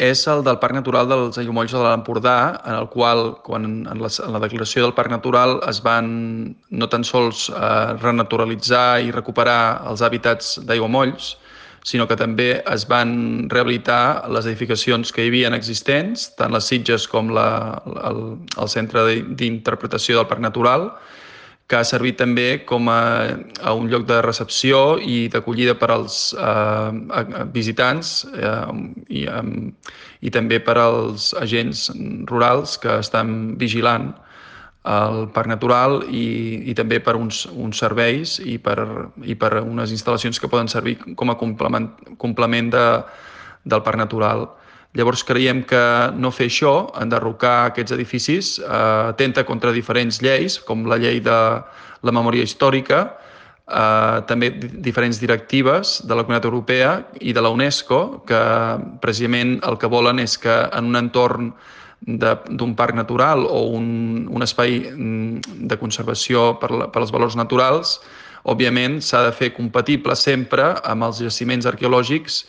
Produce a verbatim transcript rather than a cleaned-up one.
és el del Parc Natural dels Aiguamolls de l'Empordà, en el qual, quan en la, en la declaració del Parc Natural es van no tan sols eh, renaturalitzar i recuperar els hàbitats d'aiguamolls, sinó que també es van rehabilitar les edificacions que hi havia existents, tant les sitges com la, el, el Centre d'Interpretació del Parc Natural, que ha servit també com a, a un lloc de recepció i d'acollida per als eh, visitants eh, i, eh, i també per als agents rurals que estan vigilant el Parc Natural i, i també per uns, uns serveis i per, i per unes instal·lacions que poden servir com a complement, complement de, del Parc Natural. Llavors creiem que no fer això, enderrocar aquests edificis, eh, atenta contra diferents lleis, com la llei de la memòria històrica, eh, també diferents directives de la Comunitat Europea i de la UNESCO, que precisament el que volen és que en un entorn d'un parc natural o un, un espai de conservació per, la, per als valors naturals, òbviament s'ha de fer compatible sempre amb els jaciments arqueològics